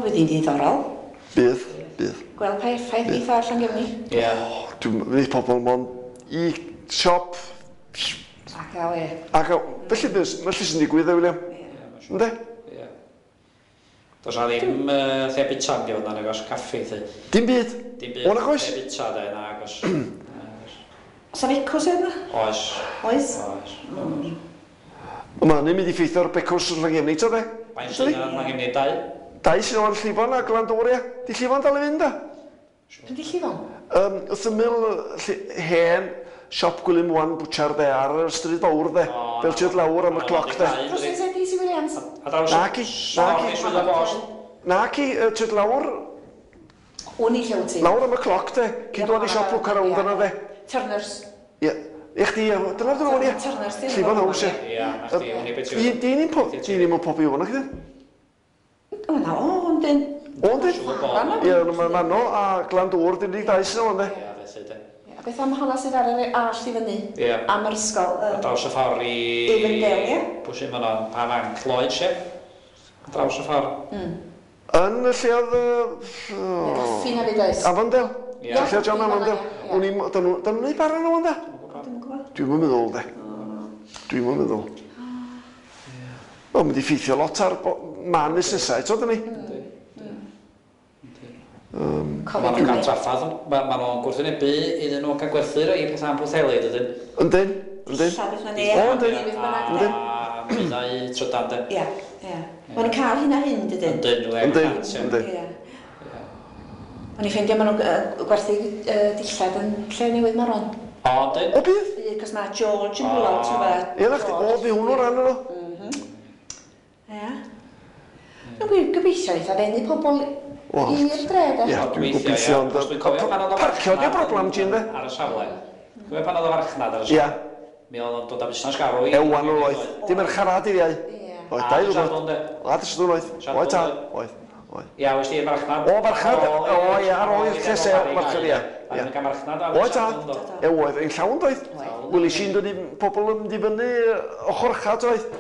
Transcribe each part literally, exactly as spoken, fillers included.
bydd hi'n ddiddorol. Bydd, bydd. Gweld pa effaith geith o ar Llangefni. Ie. Dwi'n mynd pobl mond i siop. Ac a we. Ac a, felly, felly sy'n digwydd, e, William? Ynddi? Ie. Does na ddim uh, lle bita yn gyfnod nag oes caffi, thi. Dim byd? Dim byd. O, nag oes? Lle bita, de, nag oes. Oes 'na fecws yna? Oes. Oes? Oes. Mae hynny'n mynd i ffeithio ar becws yn Llangefni, to de? Faint sydd yn Llangefni? Dau? Dau sydd o'n Llifon a Glandŵr, ia. Di Llifon dal i fynd, da? Pryd di Llifon? Um, wrth ymyl hen siop Gwilym Wan Bwtsiar, de, ar y stryd fawr, de. Fel ti'n lawr am y cloc, de. Drws nesa D C Williams? Naci, naci. Naci, ti'n lawr... O'n i lle wyt ti? Lawr am y cloc, de. Cyn dod i siop Lwc ar rownd yna, de. Turners. Ie. I chdi, dyna'r dyn nhw'n ie. Turners, di. Llifon House, ie. Ie, na chdi, o'n i beth yw. Dyn ni'n pobi o'n chdi? O, na, o, ond dyn. O, dyn? Ie, mae Manno a Glandŵr, dyn ni'n dau sy'n o'n de. Ie, felly, de. A beth am honna sydd ar yr all i fyny? Ie. Am yr ysgol? A draws y ffordd i... Avondale, ie? Pwy sy'n fanno, pa fanc, Lloyd, sie? A draws y ffordd. Yn y lle oedd... Caffi na fyd oes? Avondale. Ie. Lle oedd John Avondale. O'n i'n... Dyn nhw'n neud bara nhw, ynde? Dwi'm yn meddwl, de. Dwi'm yn meddwl. Wel, mynd i ffeithio lot ar man busnesau, eto, dyn ni? Maen nhw'n cael traffath, maen nhw'n gwrthwynebu iddyn nhw cael gwerthu rhai pethau am Pwllheli, dydyn? Yndyn, yndyn. O, yndyn, yndyn. A nwyddau trydan, de. Ie, ie. Maen nhw'n cael hyn a hyn, dydyn? Yndyn, yndyn. Yndyn. O'n i'n ffeindio maen nhw'n gwerthu dillad yn lle newydd Maron. O, yndyn. O, bydd? Bydd, cos mae George yn rhywle, ti'n gwybod? Ie, na chdi, o, fi hwnnw'n rhan yno. Ie. Dwi'n gobeithio eitha ddenu pobl i'r dre, de. Ie, dwi'n gobeithio, ond... Parcio di'r broblem, Jin, de? Ar y safle. Dwi'n pan oedd y farchnad ar y safle. Ie. Mi oedd o'n dod â busnes garw i... Ewan o'n oedd. Dim merchar a dydd iau. Oedd, dau ddwrnod. A dy Sadwrn oedd. Oedd, tad. Oedd. Ia, oes di'r farchnad. O, farchnad. O, ie, ar ôl i'r lle sel, farchnad, ie. Oedd, tad. E, oedd. Ein llawn, doedd. Welis i'n dod i pobl yn mynd i fyny ochr ucha, doedd.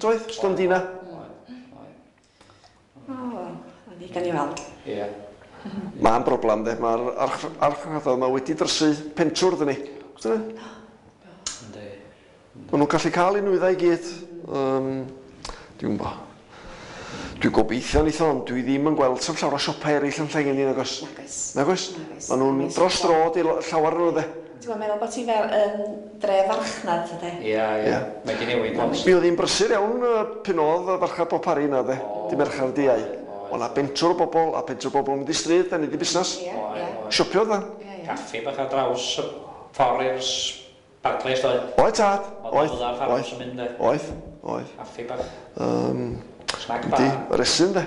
Doedd, stondina. O, ni gan i weld. Ie. Mae'n broblem, de. Mae'r archfarchnadoedd yma wedi drysu pentwr, dyn ni. Yndi. Maen nhw'n gallu cael eu nwyddau i gyd. Dwi'n gwybod. Dwi'n gobeithio neith o, ond dwi ddim yn gweld sef llawer o siopau eraill yn Llangefni, nag oes? Nag oes. Nag oes? Maen nhw'n dros dro di llawer nhw, de. Ti'n meddwl bod ti fel yn dre farchnad, de? Ie, ie. Mae di newid lot. Mi oedd hi'n brysur iawn pan oedd y farchnad Bob Parry yna, de. Di Mercher di Iau. Oedd 'na bentwr o bobl, a bentwr o bobl yn mynd i stryd, a neud i busnes. Ie, ie. Siopio, de. Caffi bach ar draws y ffordd i'r Barclays, doedd? Oedd, tad. Oedd, oedd. Oedd, oedd. Caffi bach. Snack Yndi, bar. resyn, de.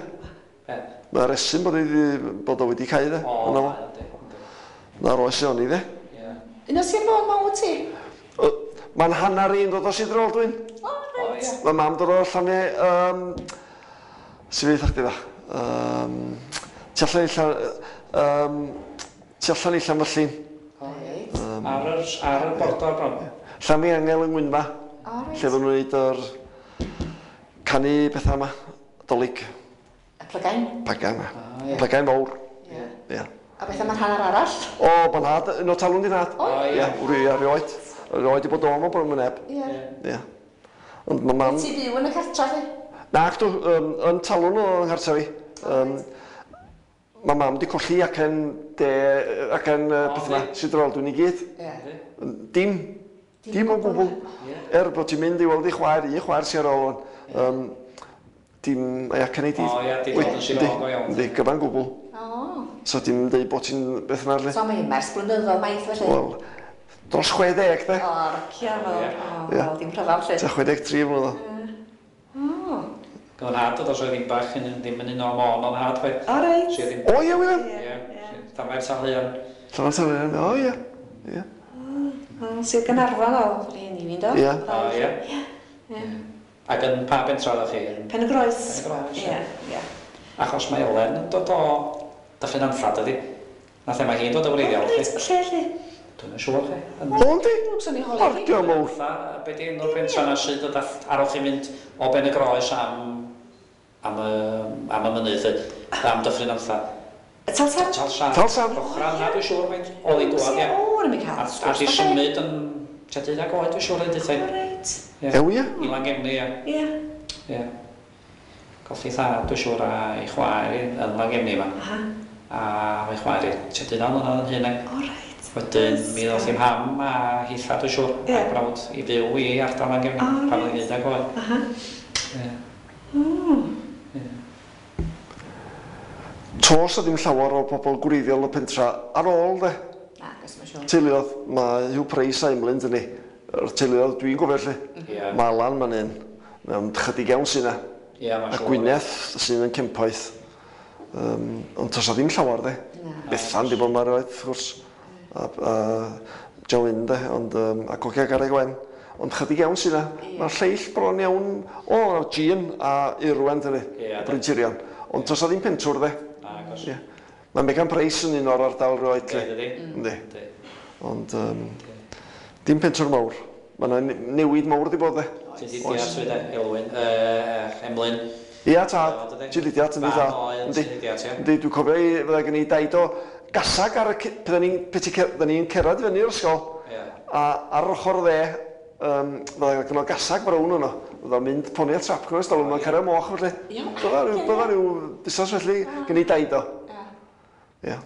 Be? Mae resyn bod, bod o wedi cau, de. O, Yna fo. yndi, yndi. Na'r oes o'n i, de. Ie. Un o Sir Fôn ma wyt ti? Mae'n hanner i'n dod o Sir Drefaldwyn. O, reit. Mae mam dod o Llanne... Um, Sy'n fydd chdi dda? Um, tu allan i Llan... Um, tu allan i Llanfyllin. Reit. Um, ar yr, ar y bordor bron. Llanfihangel yng Ngwynfa. O, reit. Lle oedden nhw'n neud yr canu pethau yma, Dolig. Y plygain? Plygain, Ah, ie. Plygain fawr. Ie. Ie. A beth am yr hanner arall? O, ma'n nhad, un o talwn di nhad. O, ie. Ie, wri, erioed. Erioed i bod o, mae'n bron yn neb. Ie. Ie. Ond ma' mam... Wyt ti fyw yn y cartra, chi? Nac dw, um, yn talwn o yng nghartra fi. Um, Mae mam di colli acen de, acen uh, beth yma, Sir Drefaldwyn i gyd. Ie. Dim. Dim o gwbl. Er bod ti'n mynd i weld i chwaer, un chwaer sy'n ar ôl. Um, dim, mae acen ei di. O ie, di dod yn Sir Fôn go iawn. Yndi, gyfan gwbl. O. So dim deud bod ti'n beth yma, So mae ers blynyddoedd maith felly? Wel, dros chwe deg, de. O, rocio, fel, o, fel, dim rhyfedd, lle. Tua chwe deg tri flynedd. O. Gyda nhad oedd os oedd ddim bach yn ddim yn un o Môn o'n nhad, chwaith. O, reit. O, ie, William. Ie, Llanfair Talhaearn. Llanfair Talhaearn, o, ie. Ie. Sir Gaernarfon o, rhieni fi'n do? Ie. O, ie. Ie. Ac yn pa bentra oeddech chi? Pen y Groes. Pen y Groes, ie. Ie. Achos mae Elen yn dod o Dyffryn Anfflad, ydi. Nath e, mae hi'n dod o wreiddiol. O, reit, lle, lle? Dwi'n yn siŵr, chi. O, yndi? Swn i'n holi chi. Ardio mawr. Be di enw'r pentra na sydd dod ar ôl chi mynd o Ben y Groes am, am, y, am y mynydd, Am Dyffryn Amtha. Talsarn? Talsarn. Talsarn. Ochra yna, dwi'n siŵr, faint oedd i dŵad, ia. O, yn mynd cael. A di symud yn tua deuddag oed, dwi'n siŵr, yn dweud. O, reit. Ew, ia? I Langefni, ia. Ia. Ia. Colli thad, dwi'n siŵr, a ei chwaer yn Langefni yma. Aha. A ei chwaer i tua deuddag mlynedd yn hyn. O, reit. Wedyn, mi ddoth i'm ham a hitha, dwi'n siŵr, a'i brawd i fyw i ardal Langefni, pan oedd hi'n deuddag oed. Aha. Ia. O. Tos a ddim llawer o bobl gwreiddiol y pentra ar ôl, de. Na, gos mae'n siŵr. Teuluodd, mae Hugh Price a Emlyn, dyn ni. Yr teuluodd dwi'n gofio, lle. Yeah. Mae Alan ma'n un. Mae'n chydig iawn sy'n na. Yeah, a Gwyneth sy'n yn Cempoeth. Um, ond tos a ddim llawer, de. Na. Bethan di bod ma'r oed, wrth gwrs. A, a Joe de, ond, um, a Gogia Garreg Wen. Ond chydig iawn sy'n na. Yeah. Mae'r lleill bron iawn, o, Jean a Irwen, dyn ni. Yeah, Bryn Tirion. Ond tos a ddim pentwr, de. Ie. Mae Megan Price yn un o'r ardal roed, lle. Ydy. Yndi. Ond um, dim pentwr mawr. Mae yna newid mawr di bod, de. Ti di deall swydd, Elwyn, uh, Emlyn. Ia, tad. Ti di deall, yndi, tad. Yndi. Yndi, dwi'n cofio i, fydda gen i daid o gasag ar y... Bydda ni'n cerdded fyny i'r ysgol. A ar ochr dde, um, fydda gen o gasag brown yno. Fydda mynd poni a trap gwnes, dal yma'n cario moch felly. Bydda rhyw, bydda rhyw busnes felly gen i daid o. Ia.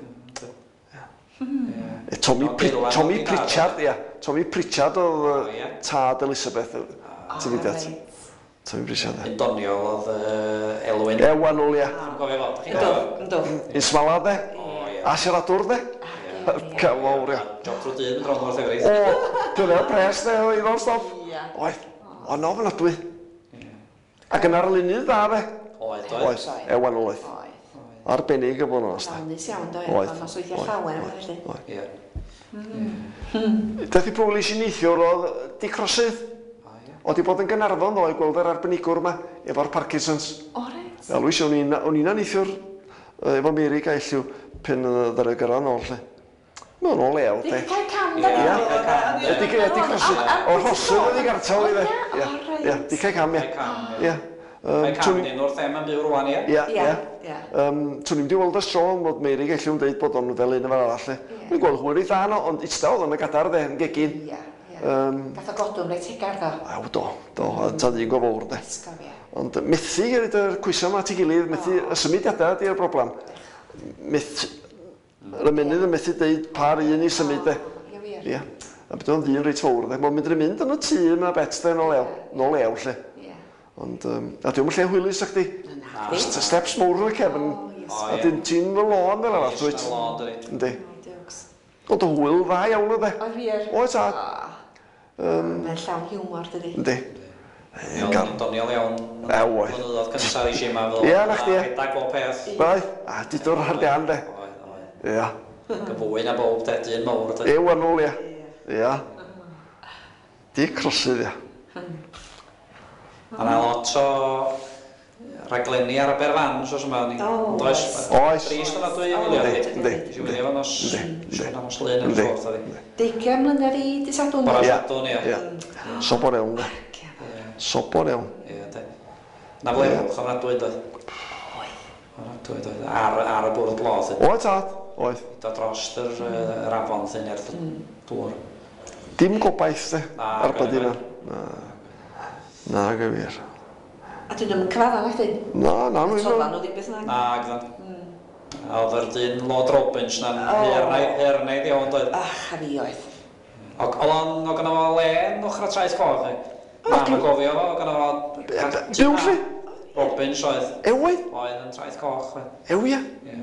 Tommy, Tommy Pritchard, ia. Tommy Pritchard oedd tad Elizabeth. Ti'n dweud? Tommy Pritchard, ia. Yn doniol oedd Elwyn. Ewan ôl, ia. Dwi'n gofio fo. Ynddo, ynddo. Un smala, de. A siaradwr, de. Cael mawr, ia. Job trwy dyn yn dron o'r llefrith. O, dyna'r pres, de, oedd o'n stop. Oedd. O'n ofnadwy. Ac yn arlunydd dda, fe. Oedd, oedd. Oedd, Ewan oedd. Arbennig y bod yn onest. Dawnus iawn, do, Oedd. Oedd, nosweithiau llawer yma, felly. Oedd. Ie. Daeth i brwlis i neithiwr oedd Dic Rosydd. Oedd i bod yn Gaernarfon ddoe gweld yr arbenigwr yma efo'r Parkinson's. O, reit. Wel, wys, o'n i'n neithiwr efo Meirig a Elliw pen ddaru gyrraedd nôl, lle. Mae'n ôl lew, de. Dic cael cam, da. Ia. Dic Rosydd. O'r Rhosydd oedd i gartal i, de. Ia, Dic cael cam, ia. Ia. Mae cam dyn wrth em yn byw rwan, ia? Ia, ia. Twn i'm di weld y tro, ond Meirig Elliw yn dweud bod o'n fel un efo'r arall, lle. Dwi'n gweld hwyr ei dda, no, ond ista oedd o'n y gadar, de, yn gegin. Ia, ia. Gath o godwm reit hegar, do. Aw, do, do, a ta ddyn go fawr, de. Esgob, ia. Ond methu gyda'r cwysa yma at ei gilydd, methu y symudiadau ydy'r broblem. Methu, yr ymennydd yn methu deud pa'r un i symud, de. Ia, wir. Ia. A beth o'n ddyn reit fawr, de. Mae'n mynd yn mynd yn y tŷ yma bet, de, nôl lew, nôl lew, lle. Ond, um, a diw'm yn lle hwylus, ac di. Steps mawr yn y cefn. A dyn ti'n fy lôn fel arall, dwyt. Yndi. Ond y hwyl dda iawn oedd e. Oedd wir. Oedd, tad. Mae'n llawn hiwmor, dydi. Yndi. O'n doniol iawn. Ew, oedd. Blynyddoedd cyntaf i si yma. Ia, na chdi, ia. Rhedeg bob peth. Bai. A dudwr ar dian, de. Oedd, oedd. Ia. Gyfwy na bob, de, dyn mawr, de. Ew, anwl, ia. Ia. Dic Rosydd, ia. Mae yna lot o raglenni ar Aberfan, os yma. Oes. Oes. Trist yna dwi wylio. Yndi, yndi. Nes i wylio fo nos, nos Lun yn ffordd, ydi. Deugain mlynedd i dydd Sadwrn. Bore Sadwrn, ia. Ia. Sobor iawn, de. Sobor iawn. Ia, de. Na flerwch ofnadwy, doedd. Oedd. Ofnadwy, doedd. Ar, ar y bwrdd blodd. Oedd, tad. Oedd. Dod dros yr, yr afon, llun, er dŵr. Dim gobaith, de. Ar byd yna. Na. Na, gyfir. A dyn nhw'n cyfadda, na chdi? Na, na. Atodda nhw ddim beth na. Na, gyddan. A oedd yr dyn Lord Robbins na'n hernaidd iawn, doedd. Ach, a fi oedd. Oedd o'n, oedd gynno fo len ochr y Traeth Coch, e? Na, mae'n gofio fo, oedd gynno fo... Byw, lle? Robbins oedd. Ew, oedd? Oedd yn Traeth Coch, oedd. Ew, ia? Ie.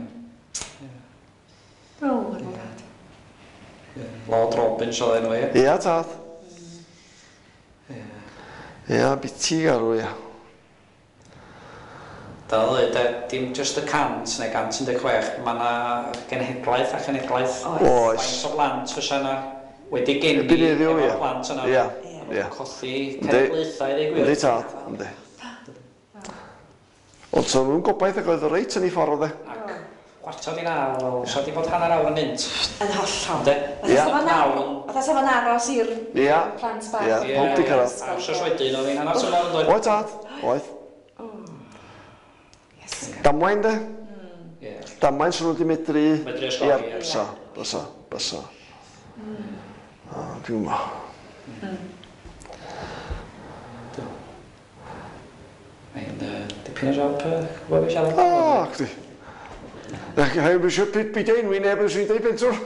O, yn dad. Lord Robbins oedd enw, ie? Ia, tad. Ia, biti garw, ia. Da ddweud, dim just y cant neu cant un deg chwech, mae yna genhedlaeth a chenhedlaeth. Oes. Faint o blant fysa yna wedi geni efo'r plant yna. Ia, ia. Colli cenedlaethau, i ddweud gwir. Yndi, tad, yndi. Ond so nhw'n gobaith ac oedd reit yn ei ffordd, e. Ac chwarter i naw, wel, sa di bod hanner awr yn mynd. Yn hollol. Ynde? Ia. Fatha sa fo'n aros i'r plant bach. Ia, pawb di cyrraedd. A wsos wedyn oedd hi'n hanner tymor yn dod. Oedd, tad, oedd. Damwain, de? Ie. Damain sy'n nhw wedi medru... Medru osgoi, Ie, ie. bysa, bysa, bysa. O, Dwi'n gwybod. Mae'n yy, dipyn o job, yy, gwybod beth siarad. O, chdi. Ac heb eisiau byd enwi neb yn sy'n deud pentwr.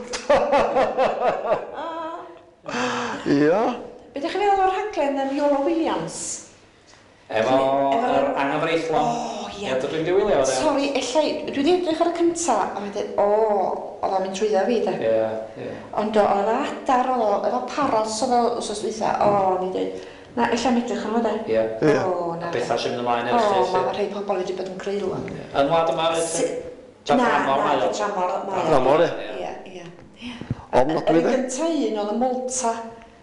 Ia. Be ydych chi'n feddwl o'r rhaglen um, Iolo Williams? Efo Efo'r- yr anghyfreithlon. O, ie. Ie, dwi wedi wylio fo, de. Sori, ella, dwi wedi edrych ar y cynta, a mae'n dweud, o, oedd o'n mynd trwyddo fi, de. Ie, ie. Ond o, oedd adar, oedd o, efo paros oedd o wsos dwytha, o, o'n i'n dweud, na, ella am edrych arno fo, de. Ie. Ie. O, na. Bethau sy'n mynd ymlaen O, erchyll. mae rhai pobl wedi bod yn creulon. Yn wlad yma, fyd? Si- Ta Na, dramor na, mae o? dramor mae o. Dramor, ie. Ie, ie. Ofnadwy, Yr un de. gynta un oedd y Malta,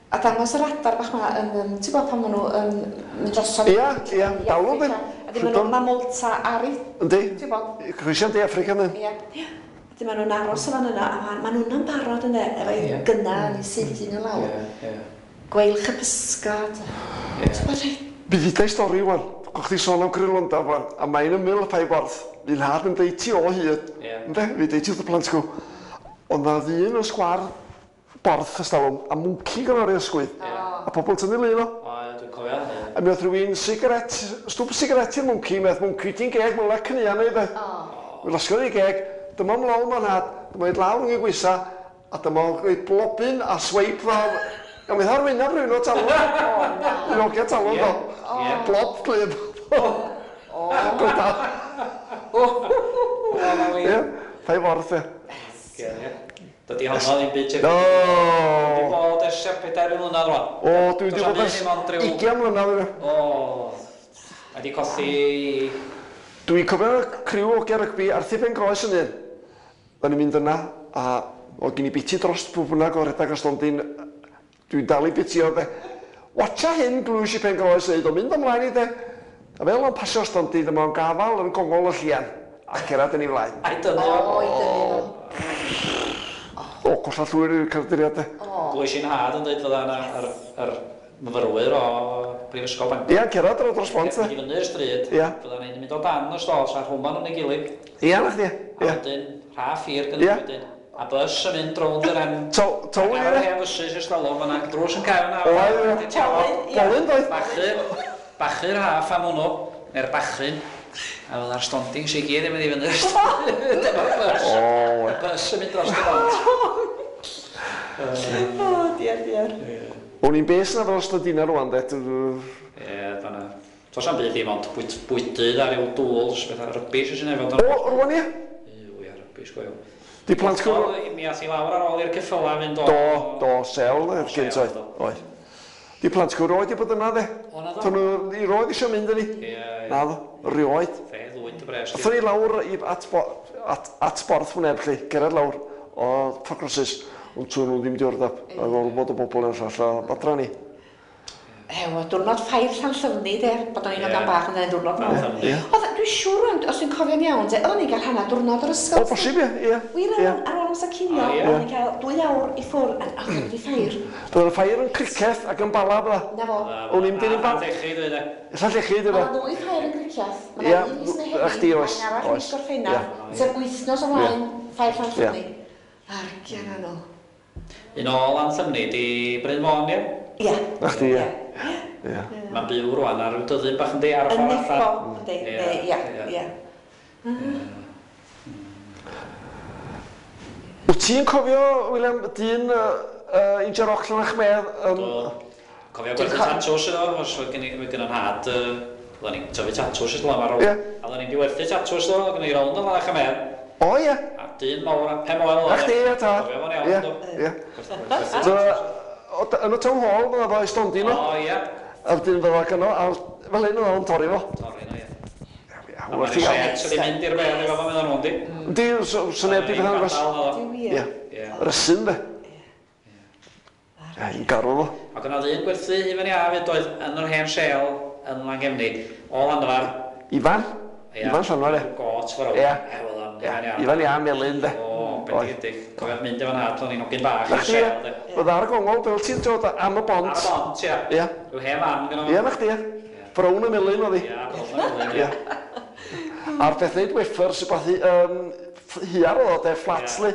a dangos yr adar bach ma, yn, yn, ti'n gwybod pan maen nhw yn mynd drosodd? Ia, ia, i dawlw, Affrica. dyn. A di maen nhw, mae Malta ar ei, Yndi. ti'n gwybod? Croesiad De Affrica, ynddi? Ie. Ie. A di maen nhw'n aros o fan yna, a ma- maen nhw'n barod yna, efo Ie. eu gynna yn eu syth un yn lawr. Ie, ie. Gweilch y pysgod. Ie. Ti'n gwybod rhai? Mi ddudai stori wan. Gwch chi sôn am Grylonda wan, a mae'n ymyl y ffair borth. Fi'n nhad yn deud ti o hyd. Ie. Ynde? Fi deud ti wrth y plant gww. Ond na ddyn yn sgwar borth ystalwm, a mwnci gan o'r ysgwydd. A pobl tynnu lun o. O, ie, dwi'n cofio. ie. A mi oedd rhywun sigaret, stwp sigaret i'r mwnci, mi oedd mwnci ti'n geg, mae'n le cynnian neu beth. Mi losgodd ei geg, dyma mlawn ma'n nhad, dyma i lawr yn ei gwysa, a dyma o'n rhoi blobyn a sweip fel... A mi oedd wyneb rhywun o talw. Un ogia talw Ie. do. Ie. Blob glib. Gwrda. O, na wir. Ie, ffair forth e. Ie, ie. Dydy honno ddim byd tebyg. No. Wedi bod ers pedair mlynedd rwan. O, dwi wedi Does 'am bod ers byd dim ond ryw- ugain mlynedd. yna. O, mae di colli... Dwi'n cofio criw o ogia rygbi Arthur Ben Groes yn un. Da ni'n mynd yna, a o gen i biti dros pwy bynnag o redag o stondin. Dwi'n dal i biti o de. Watcha hyn glwys i Pen Groes dweud, o mynd ymlaen i de. A fel o'n pasio stondin, dyma o'n gafal yn gongol y llian. A cerad yn ei flaen. Ai dynnu o. O, i dynnu fo. O, golla llwyr i'r carduriad de. Glwys i'n had yn dweud fydda yna yr, yr myfyrwyr o Brifysgol Bangor. Ia, cerad ar dros bont de. Mynd i fyny'r stryd, Ie. fydda ni'n mynd o dan y stos a rhwman yn ei gilydd. Ia, na chdi. A Ia. wedyn, rhaff hir Ie. gyda wedyn. A bus yn mynd rownd yr en... To- Towyn, Ar yr ie. hen fysus ers talwm fan'na, drws yn cau yna. Oedd, ie. Wedyn ti efo Towyn, ie. Bolyn doedd. Bachu, bachu'r haff am hwnnw, neu'r bachyn. A fydda'r stondings i gyd yn mynd i fyny'r stryd. Efo'r bus. O, Y bus yn mynd dros y bont. O, diar, diar. O'n i'n bes na fel stondina rwan de. Ie, fan'na. Does am byd dim ond bwyd- bwydydd a ryw dŵls, bethau rybys sy'n efo. O, rwan ie. Iw, ia, rybys go iawn. Di plant Do, cwrw... mi ath i lawr ar ôl i'r ceffyla fynd o... Do, do, sel, O, gynt sel, oedd. do. Oedd. Di plant cwrw roed i bod yna de. O, na do. Do'n nhw i roed eisiau mynd yn ni. Ie, ie. Na ddo, rioed. Fe ddwyn dy bres. Athon ni lawr i, at, bo, at, at borth hwneb lle, gerad lawr o Fforcrosis, ond tŵn nhw ddim diwrnod, a gormod o bobl yn llall a adra ni. Ewa, diwrnod ffair Llanllyfni, de, bod o'n i'n Ie. hogan bach yn dweud diwrnod mawr. Llanllyfni. Ie. Oedd, dwi'n siŵr, ond, os dwi'n cofio'n iawn, de, oedden ni'n cael hanner diwrnod o'r ysgol. O, bosib ie, ie. Wir Ie. ar, ar ôl amser cinio, O, ie. oedden ni'n cael dwy awr i ffwrdd, a oedd wedi ffair. Bydd y ffair yn Cricieth ac yn Bala bydda. Na fo. O'n i'n dilyn bal. bal- Llechi, dwi de. Ella llechi, dy Mae fe. yna ddwy ffair yn Cricieth. Mae Ie, yna un mis Mehefin, a chdi oes, mae un arall mis oes. Gorffennaf. Ie. Sef wythnos o flaen ffair Llanllyfni. Argian anol. Un o Lanllyfni di Bryn Fôn, ie? Ie. Na chdi, ie. Ie. Mae'n byw rwan ar ryw dyddyn bach yn di ar y Yn ffordd Nebo, allan. yndi, Ie, neu- ie, ie. ie. Wyt ti'n cofio, William, dyn uh, uh, Inja Rock Llanachmedd? Um, Do. Cofio Dwi'n gwerthu co- tatws iddo, os oedd gen i oedd gen i'n nhad, yy, oedden ni'n tyfu tatws iddo am ar ôl. Ie. A oedden ni'n di werthu tatws iddo, oedd gen i rownd yn Lanach Amedd. O, ie. A dyn mawr, a pen moel oedd. Na chdi, ie, ta. Cofio fo'n iawn, Ie, do. ie. Gwerthu tatws. So, o- yn y town hall, fydda fo i stondin o. O, ie. A wedyn fydda gynno, a fel hyn oedd o'n torri fo. Torri no, ie. Ie, A hwnna mae'n ti gael. set sydd wedi mynd i'r bedd efo fo meddwl nhw, yndi? Yndi, so so neb di beth yn agos. Di wir. Ie. Ie. Rysyn, de. Ie, i'n garw fo. Ac yna ddyn gwerthu hufen iâ fyd oedd yn yr hen sel yn Llangefni, o Lanfair. Ifan. Ie. Ifan Llanfair, ie. Got fawr. Ie. E, wel, am Ie, hufen iâ. Ifan ia, melyn, de. O, bendigedig. Cofio mynd efo'n nhad, o'n i'n hogyn bach Na i'r chdi, sel, ie. de. Fydda ar y gongol, fel ti'n dod am y bont. Ar y bont, ia. Ie. Rhyw hen fan gynno fo. Ie, na chdi, ie. Brown y melyn oedd hi. Ia, brown y melyn, Ie. ie. A'r peth neud weffers, rhywbeth i, um, Hiar oedd o, de, fflat, li.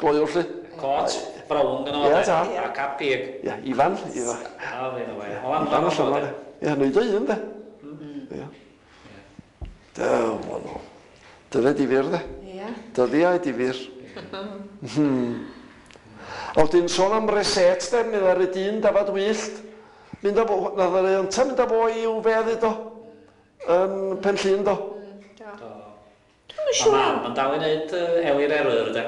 Gloiwr, li. Cot, brown gynno fo, de. A cap pig. Ie, Ifan, Ifan. O, fi'n owe. Ifan allan o, de. Ie, neud o un, de. Ie. Dew, o. Dyna difyr, de. Ie. Dyddiau difyr. A wedyn sôn am reset, de, mi ddaru dyn dafad wyllt. Mynd â fo, na ddaru ynta mynd â fo i'w fedd iddo. Yn Pen Llŷn, do. Do. Dwi'm yn Mae siŵr. mam yn dal i wneud Eli'r Eryr, de.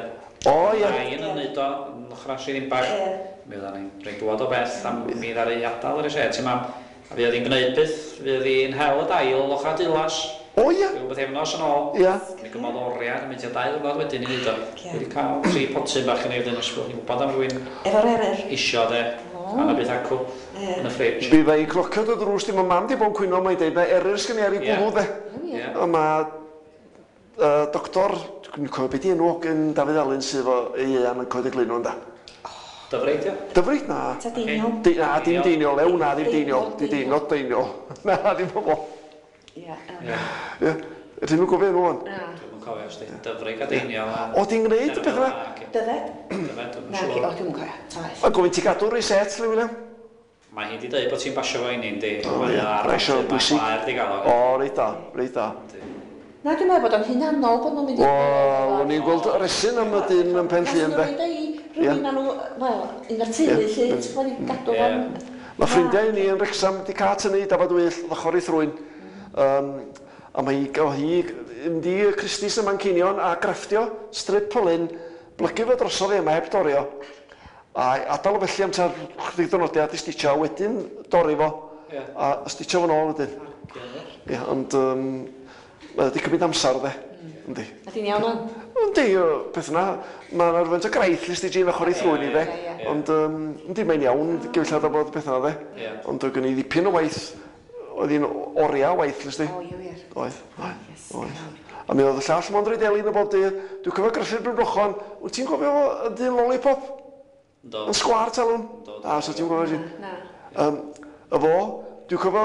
O, ie. Mae un yn wneud o yn ochr Sir Ddinbach. Ie. Mi oeddan ni'n rhaid dŵad o bell a mi ddaru adael yr reset i mam. A fuodd hi'n gwneud byth, fuodd hi'n hel y dail ochr Dulas. O, ie. Rhyw bythefnos yn ôl. Ie. Mi gymodd oriau, mynd tua dau ddiwrnod wedyn i wneud o. Ie. Wedi cael tri potyn bach yn ei wedyn os bod chi'n gwybod am rywun Efo'r eryr. isio de. A na beth acw Ie. yn y ffridge. Fi dda i clocio dy drws di, mae mam di bod yn cwyno, mae'n deud, mae eryr sgen i ar ei Ie. gwddw, de. Ie. A mae uh, doctor, dwi'n cofio beth di enw ogyn Dafydd Alun sydd efo ei ieuan yn Coed y Glyn da. Dyfryd, ia? Dyfryd, na. Ta Deiniol. Di, na, dim Deiniol, ew, na, ddim Deiniol. Di Deiniol, Deiniol. Na, ddim pobl. Ie. yym, Ie. Ie. Ydyn nhw'n gofio enw o'n? Na. Dwi'm yn cofio os di Dyfrig a Deiniol. a- O, ti'n gwneud y peth yna? Dyfed? Dyfed, dwi'm yn Na, o, siŵr. dwi'm yn cofio. Ta waeth. A gofyn ti gadw reset, li, William? Mae hi di dweud bod ti'n basio fo i ni, yndi. O, Mae ie. o ar Mae isio bapur, bwysig. Mae chwaer di gael o. O, reit da, reit da. Na, dwi'n meddwl bod o'n hunanol bod nhw'n mynd i... Wel, o'n i'n gweld resyn am y dyn yn Pen Llŷn, de. Nath nhw roid o i rhywun maen nhw, wel, un o'r teulu, Ie. lle, ti'n gwybod, i gadw Ie. fo'n... Mae ffrindiau i ni yn Wrecsam wedi cael tynnu dafad wyll ochr ei thrwyn. Um, a mae hi, o hi mynd i Christie's ym Manceinion a grafftio strip o lun, blygu fo drosodd i yma heb dorio. A adael o felly am tua chydig diwrnodiau a di stitio, a wedyn dorri fo. Ie. A stitio fo'n ôl wedyn. Ie, ond um, mae wedi cymryd amser, de. Yndi. A di'n iawn o'n? Yndi, y peth yna, mae yna rhywfaint o graith list i Jean ochr ei thrwyn i, de. Ie, ie, ie. Ond, um, yndi, mae'n iawn, gyfeillad o bod y peth yna, de. Ie. Ond oedd gen i ddipyn o waith, oedd hi'n oriau o waith, list i. O, ie, wir. Oedd, oedd, Yes. oedd. A mi oedd y llall mond rhaid elin o bob dydd. Dwi'n cofio Gruffydd Bryn Wyt ti'n cofio fo, y dyn lollipop? Ynddo. Yn sgwâr talwn? Ynddo, A, so ti'n cofio ti? Na. Um, y fo, dwi'n cofio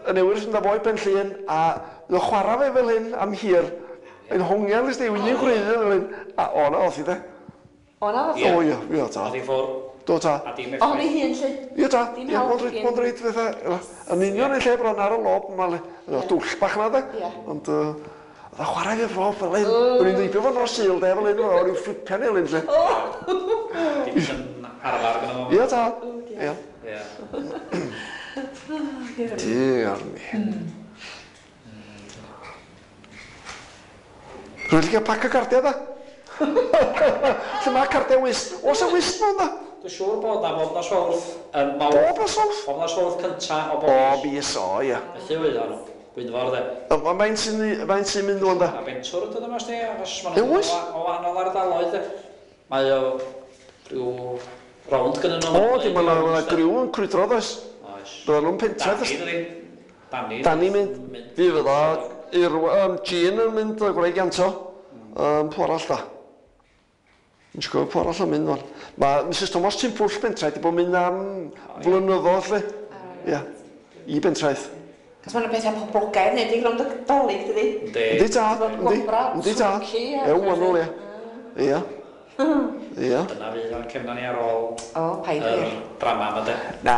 y newydd sy'n fo i Ben Llŷn, a oedd o'n chwarae fe fel hyn am hir. Yn hongian, list i, un gwreiddyn fel hyn. A o, na, oedd hi de. O, na, Ie. O, ie, ie, ta. Oedd hi ffwr. Do, ta. A dim O, ni effaith. hun, lle. Ie, ta. Dim Ie, help mond reit, gin. mond reit fatha. Yn union yn lle bron ar y lob, ma le. Dwll bach na, de. Ie. Ond, yy, oedd o'n chwarae fe fo fel hyn. O'n i'n ddeibio fo nos Sul, de, fel hyn, o'n i'n fflipian fel hyn, lle. Dim yn arfer gyda fo. Ie, ta. Ie. Ie. Diar mi. Rwy'n licio pac o cardiau, da? Lle mae cardiau wist? Oes y wist mewn, da? Dwi'n siŵr bod na bob nos Fawrth yn mawrth. Bob nos Fawrth? Bob nos Fawrth cynta o bob O, mis. mis, o, ie. Felly oedd o'n Gwynfor, de. O, ma- Faint sy'n faint sy'n mynd o'n da? A fentwr ydyn yma, sti, achos maen Ie, nhw'n oes? o o wahanol ardaloedd, de. Mae o rhyw rownd gyda nhw. O, di, mae yna griw yn crwydro, does? Oes. Byddan nhw'n pentref, Dani, dydi? Dani. Dani mynd. Fi fydda, i'r, um, Jean yn mynd, y gwraig Ianto. Um, pw arall da? Yn siŵr pw arall yn mynd fan. Mae Mrs Thomas Timpwll Bentraeth di bod yn mynd am flynyddoedd, lle. Ie, i Bentraeth. Cos mae'n pethau poblogaidd, neu di rownd y Dolig, dydi? Yndi. Yndi ta, yndi, Gwobra, yndi ta. twrci a- Ew, wahanol, ie. Ie. Ie. Dyna fydd o'n cefna ni ar ôl O, paid yr wir. drama yma, de. Na,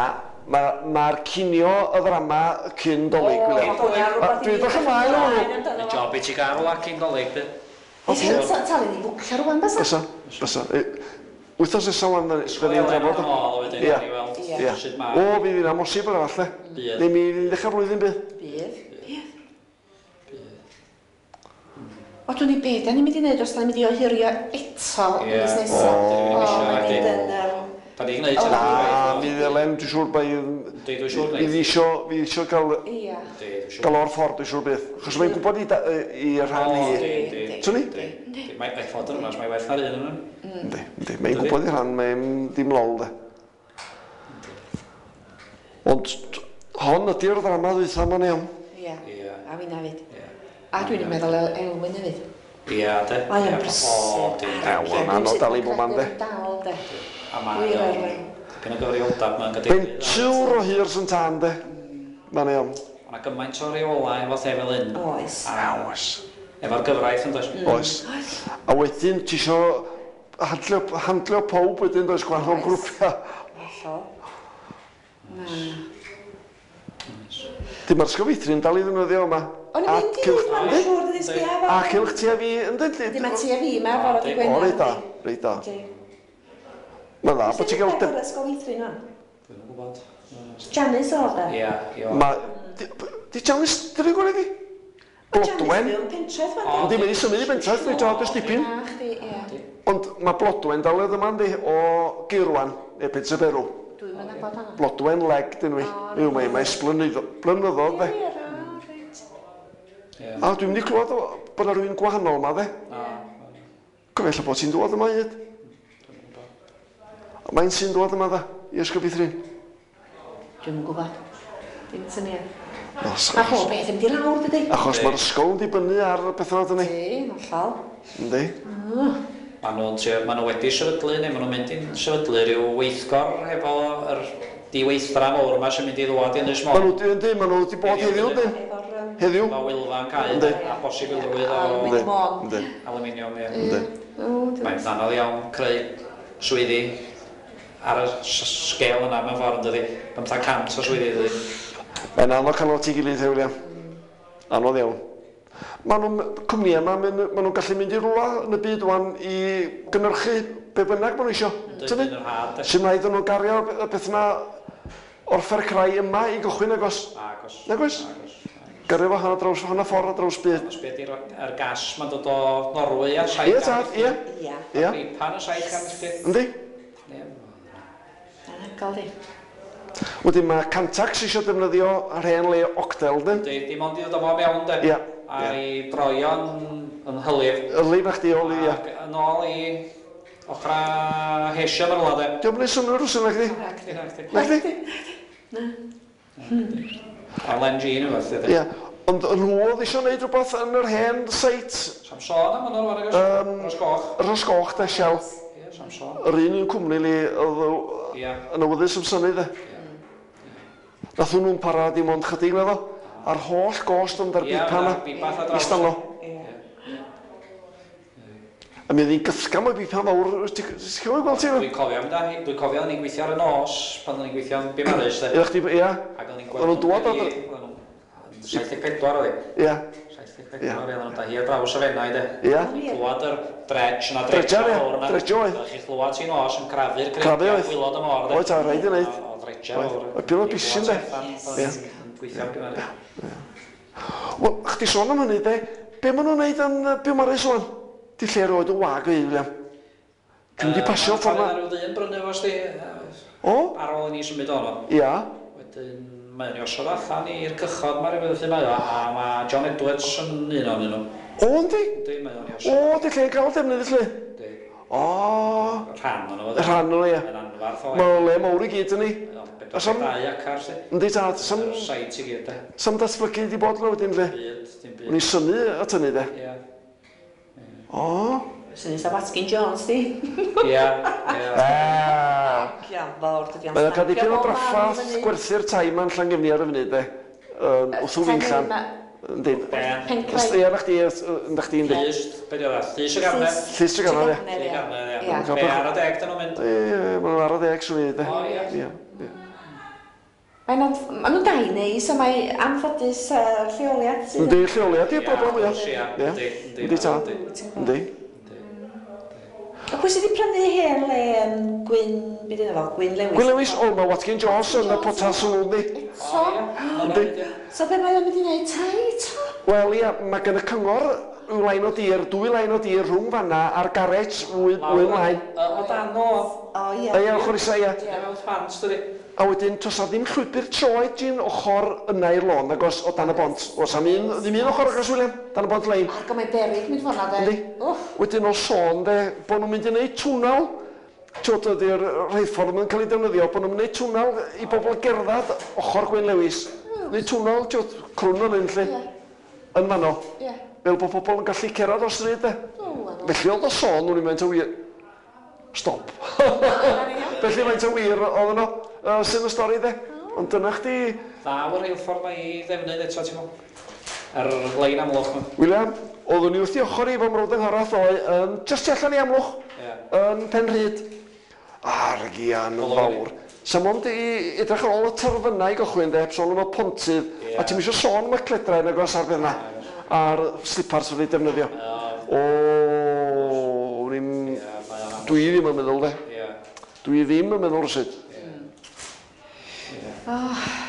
mae'r ma cinio y ddrama cyn Dolig, O, William. hwnna rwbath i Dwi'n ni edrych ymlaen am hwnnw. amdano Y fo. job i ti gael rwla cyn Dolig, de. Ti'n talu ni fwcio rwan, bysa? Bysa, bysa. E, Wythnos nesa wan, da ni'n drafod. Yn ôl wedyn, Ie. ni weld Ie. sut ma. O, fydd hi'n amhosib yr arall, de. Bydd. Neu mi fydd hi'n ddechrau blwyddyn bydd. Bydd. Bydd. O, dwi'n i be, da ni'n mynd i wneud os da ni'n mynd i ohirio eto Ie. mis nesaf. O, dyn ni'n O, isio, mae'n nadi. mynd yn... yym, Da ni'n gwneud O. hynny, Na, dwi'n mi ddylem, dwi'n siŵr bai... Yndi, dwi'n siŵr Fydd wneud. isio, fydd isio gael, Ia. Yndi, dwi'n siŵr. gael o'r ffordd, dwi'n siŵr bydd. Achos mae'n gwybod i, da- i rhan O, hi. yndi, yndi. Swn i? Yndi. Yndi. Mae mae ffordd yn yma, mae werth ar un yn Yndi, yndi. Mae'n gwybod i rhan, mae'n dim lol, de. Ond t- hon ydy'r ddrama ddwytha ma'n iawn. Ia. Ie. A finna fyd. Ie. A dwi'n meddwl El- Elwyn hefyd. Ie, de. Mae o'n Ie, brysur. O, yndi, yndi. Ew, ma'n anodd dal i bob man, de. Dal, de. A mae Wir o'n Elwyn. dipyn o gyfrifoldeb ma'n gadeirydd. Bentwr o hir sy'n tân, de. Ma'n iawn. Mae 'na gymaint o reolau efo lle fel hyn. Oes. A Oes. Efo'r gyfraith yn does? Oes. A wedyn ti isio handlio, handlio pawb wedyn does, gwahanol grwpiau. Hollol. Na. Di mae'r ysgol feithrin dal i ddefnyddio yma. O'n i'n mynd i ddweud, mae'n siŵr dydi sbia fo. A cylch ti a fi, yndyn? Yndi, mae ti a fi yma, fore dy Gwener. O, reit da, reit da. Mae'n dda, bod ti'n gael... Pwy sy'n ysgol feithrin o'n? Dwi'n gwybod. Janice oedd e? Ia, ia. Di Janice, di rwy'n gwneud i? Blodwen. Janice mewn pentref. Yndi, mae'n i symud i bentref, dwi'n dod ers dipyn. Ond mae Blodwen dal oedd yma, yndi, o Geirwan, neu Pentre Berw. Dwi'n mynd nabod hwnna. Blodwen Leg, dyn nhw. Yw, mae mae blynyddoedd, de. A dwi'n mynd i clywed bod yna rhywun gwahanol yma, de. Cofio ella bod ti'n dod yma hyd. Mae'n sy'n dod yma, de, i Ysgol Feithrin. Dwi'm yn gwybod. Dim syniad. Mae pob beth yn mynd i lawr, dydy. Achos mae'r ysgol yn dibynnu ar bethau yna, dydy. Yndi, hollol. Yndi. Maen nhw'n trio, maen nhw wedi sefydlu, neu maen nhw'n mynd i'n sefydlu rhyw weithgor efo yr diweithdra mawr yma sy'n mynd i ddwad i Ynys Môn. Maen nhw, yndi, maen nhw wedi bod heddiw, yndi. Heddiw. Mae Wylfa'n cau, a posibilrwydd o aluminium, ie. Mae'n anodd iawn creu swyddi ar y sgêl yna mewn ffordd, yn dydi. Bymthag cant o swyddi, dydi. Mae'n anodd cael nhw at ei gilydd, he, William. Anodd iawn. Maen nhw'n, cwmnïau yma, maen nhw'n gallu mynd i rwla yn y byd wan i gynhyrchu be bynnag maen nhw isio. Yn yr had. Sy'n rhaid nhw gario y beth yna o'r ffercrau yma i gychwyn agos. Agos. Nag oes? Gario fo hanner draws, hanner ffordd ar draws byd. Os beth yw'r gas mae'n dod o Norwy ar saith Ie, tad, ie. Ie. Ie. Pan y saith gan milltir. Yndi? Ie. Anhygoel di. Wedyn mae Cantax eisiau defnyddio yr hen le Octel, dyn? Yndi, dim ond i ddod o fo mewn, de. Ie. A i droion yn hylif. Hylif na chdi, oli, ie. Ac yn ôl i ochra Hesian yr wlad, de. Dio'm yn neud synnwyr rwsyn, na chdi? Na chdi, na chdi. Na chdi? Na. L N G neu beth, de. Ie, ond nhw oedd eisiau gwneud rhywbeth yn yr hen seit. Samson am hwnnw, rwan, agos? Rhos Goch. Rhos Goch, de, Shell. Ie, Samson. Yr un un cwmni li, oedd yn awyddus am synnu, de. Nath nhw'n para dim ond chydig, naddo? A'r holl gost ond ar bipa yna. Ista nhw. A mi oedd hi'n gythgam o'i bipa mawr. Ti'n cofio gweld ti? Dwi'n cofio am da. Dwi'n cofio o'n i'n gweithio ar y nos, pan o'n i'n gweithio yn Biwmares. Ie, chdi, ia. Ac o'n i'n gweld nhw'n dŵad ar... saith deg pedwar oedd hi. Ia. saith deg pedwar, ia. Oedden nhw'n hi ar draws y Fenai, de. Ia. Clywad yr dredge na dredge mawr yna. Dredge oedd. Oeddech chi'n clywad ti'n nos yn crafu'r creigiau gwylod y môr, de. Oedd, ta, rhaid i wneud. O, dredge mawr. Oedd pyn o bishyn, de. Ie. Gweithio yn Biwmares. Wel, chdi sôn am hynny, de, be maen nhw'n neud yn Biwmares ŵan? Di lle roed y wag o un, William. Dwi'n di pasio ffordd na. Mae rhyw ddyn brynu fo, sti. O? Ar ôl i ni symud ono. Ia. Wedyn, mae'n i osod allan i'r cychod, mae rhywbeth felly mae o, a mae John Edwards yn un ohonyn nhw. O, yndi? Yndi, mae o'n i osod. O, di lle'n cael defnydd felly? Yndi. O. Rhan ono fo. Rhan ono, ia. Yn anfarth o. Mae'n le mawr i gyd, yndi? Bedwar deg dau acar, sti. Yndi, tad. Sam... Sait i gyd, de. Sam datblygu di bod yna wedyn, lle? Byd, dim byd. O'n i synnu at hynny, de. Ia. O. Sy'n sa Watkin Jones, di. Ia, ia. Ia, fawr, dydi. Mae'n cael dipyn o draffath gwerthu'r tai ma'n Llangefni ar y funud, de. Wrth o Finllan. Yndi. Pencraig. Ia, na chdi, ynda chdi, yndi. Llys, be di o dda? Llys y Garnedd. Llys y Garnedd, ia. Llys y Garnedd, ia. Be ar y deg, dyn nhw'n mynd? Ie, maen nhw'n ar y deg, swn i, de. O, ia. Ia. Mae'n nhw'n dau neis, a mae anffodus lleoliad. Yndi, lleoliad yw'r broblem fwyaf. Ia, yndi, yndi. Yndi, tad. Yndi. A pwy sydd wedi prynu hen le yn Gwyn, beth yna fo, Gwyn Lewis? Gwyn Lewis, o, mae Watkin Jones yn y potas yn nhw, yndi. Eto? Yndi. So be mae o'n mynd i wneud tai eto? Wel, ia, mae gen y cyngor rhyw lain o dir, dwy lain o dir rhwng fanna a'r garej fwy ymlaen. O dan o. O, ia. Ia, ochr isa, ia. Ie, mewn ffans, dydi. A wedyn, toes na ddim llwybr troed jyn ochr yna i'r lôn, agos o dan y bont. Oes am un, ddim un ochr agos, William, dan y bont lein. Ac mae'n beryg mynd ffordd de. Yndi. Wedyn o sôn, de, bod nhw'n mynd i wneud twnnel, tiwod, ydy'r rheilffordd yn cael ei defnyddio, bod nhw'n mynd i wneud twnnel i bobl gerdded ochr Gwyn Lewis. Neu twnnel, tiwod, crwn o'n un, lle, yn fanno. Fel bod pobl yn gallu cerdded o'r stryd, de. Felly oedd o sôn, nhw'n mynd o wir. Stop. Felly faint o wir oedd yno, sy'n y stori, de. Ond dyna chdi... Ddaw yr rheilffordd mae i ddefnydd eto, ti'n meddwl? Ar lein Amlwch. William, oeddwn i wrth i ochr i fo mrawd yng nghorath ddoe, yn jyst tu allan i Amlwch, yn Penrhyd. Argian fawr. Sa mond i edrych ar ôl y terfynau i gychwyn de, heb sôn am y pontydd, a ti'm isio sôn am y cledrau nag oes ar beth 'na, a'r slipars wedi defnyddio. O, o'n i'm... Dwi ddim yn meddwl de. Dwi ddim yn meddwl rywsut. Oh.